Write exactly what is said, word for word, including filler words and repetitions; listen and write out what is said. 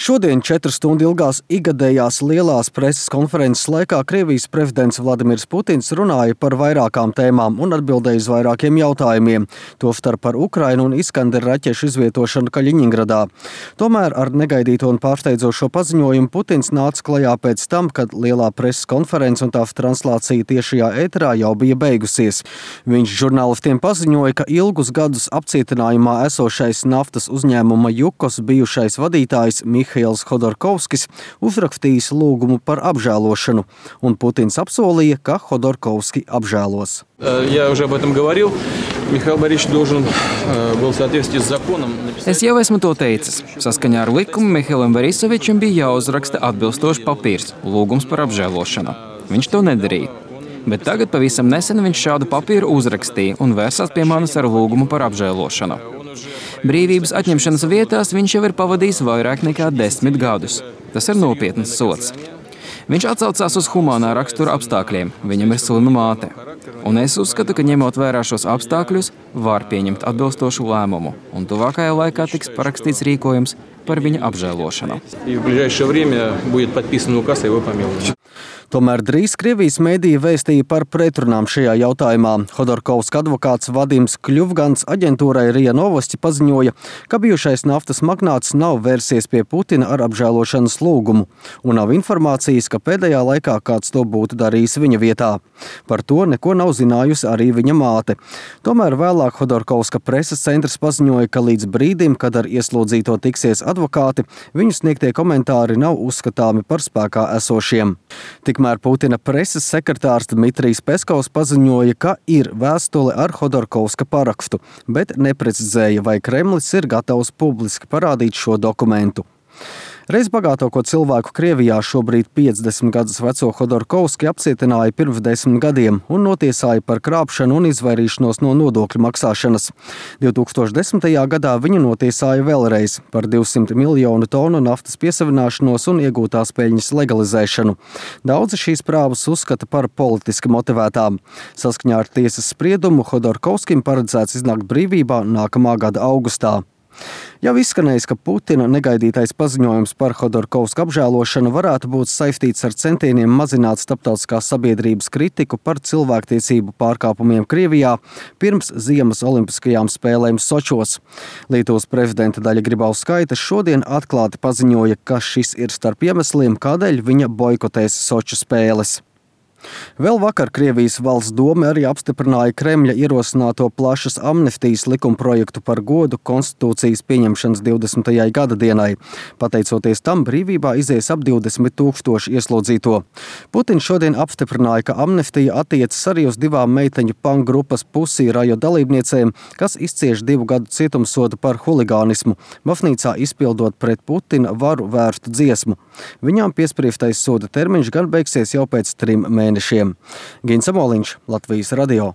Šodien četru stundu ilgās igadējās lielās preses konferences laikā Krievijas prezidents Vladimirs Putins runāja par vairākām tēmām un atbildēja uz vairākiem jautājumiem, tostarp par Ukrainu un Iskander raķešu izvietošanu Kaļiņingradā. Tomēr ar negaidīto un pārsteidzošo paziņojumu Putins nāca klajā pēc tam, kad lielā preses konference un tās translācija tiešajā ēterā jau bija beigusies. Viņš žurnālistiem paziņoja, ka ilgus gadus apcietinājumā esošais naftas uzņēmuma Jukos bijušais vadītājs Mihails Hodorkovskis uzrakstījis lūgumu par apžēlošanu, un Putins apsolīja, ka Hodorkovski apžēlos. Es jau esmu to teicis. Saskaņā ar likumu Mihailam Borisovičam bija jāuzraksta atbilstošs papīrs – lūgums par apžēlošanu. Viņš to nedarīja. Bet tagad pavisam nesen viņš šādu papīru uzrakstīja un vērsās pie manis ar lūgumu par apžēlošanu. Brīvības atņemšanas vietās viņš jau ir pavadījis vairāk nekā desmit gadus. Tas ir nopietns sods. Viņš atsaucās uz humānā rakstura apstākļiem. Viņam ir slima māte. Un es uzskatu, ka ņemot vērā šos apstākļus, var pieņemt atbilstošu lēmumu. Un tuvākajā laikā tiks parakstīts rīkojums par viņa apžēlošanu. Tomēr drīz Krievijas mēdīji vēstīja par pretrunām šajā jautājumā. Hodorkovska advokāts Vadims Kļuvgans aģentūrai RIA Novosti paziņoja, ka bijušais naftas magnāts nav vērsies pie Putina ar apžēlošanas lūgumu, un nav informācijas, ka pēdējā laikā kāds to būtu darījis viņa vietā. Par to neko nav zinājusi arī viņa māte. Tomēr vēlāk Hodorkovska preses centrs paziņoja, ka līdz brīdim, kad ar ieslodzīto tiksies advokāti, viņu sniegtie komentāri nav uzskatāmi par spēkā esošiem. Tikmēr Putina preses sekretārs Dmitrijs Peskovs paziņoja, ka ir vēstule ar Hodorkovska parakstu, bet neprecizēja, vai Kremlis ir gatavs publiski parādīt šo dokumentu. Reiz bagātāko cilvēku Krievijā šobrīd piecdesmit gadus veco Hodorkovski apcietināja pirms desmit gadiem un notiesāja par krāpšanu un izvairīšanos no nodokļu maksāšanas. divi tūkstoši desmitajā gadā viņu notiesāja vēlreiz par divsimt miljonu tonu naftas piesavināšanos un iegūtās peļņas legalizēšanu. Daudzi šīs prāvas uzskata par politiski motivētām. Saskaņā ar tiesas spriedumu Hodorkovskim paredzēts iznākt brīvībā nākamā gada augustā. Jau izskanējis, ka Putina negaidītais paziņojums par Hodorkovska apžēlošanu varētu būt saistīts ar centieniem mazināt starptautiskās sabiedrības kritiku par cilvēktiesību pārkāpumiem Krievijā pirms ziemas olimpiskajām spēlēm Sočos. Lietuvas prezidenta Daļa Grybauskaite šodien atklāti paziņoja, ka šis ir starp iemesliem, kādēļ viņa boikotēs Soču spēles. Vēl vakar Krievijas valsts doma arī apstiprināja Kremļa ierosināto plašas amnestijas likumprojektu par godu konstitūcijas pieņemšanas divdesmitajai gada dienai. Pateicoties tam, brīvībā izies ap divdesmit tūkstoši ieslodzīto. Putins šodien apstiprināja, ka amnestija attiecas arī uz divām meiteņu punk grupas Pussy Riot dalībniecēm, kas izcieš divu gadu cietumsodu par huligānismu, baznīcā izpildot pret Putina varu vērstu dziesmu. Viņām piespriestais soda termiņš gan beigsies jau pēc trim mēnešiem. Gins Amoliņš, Latvijas radio.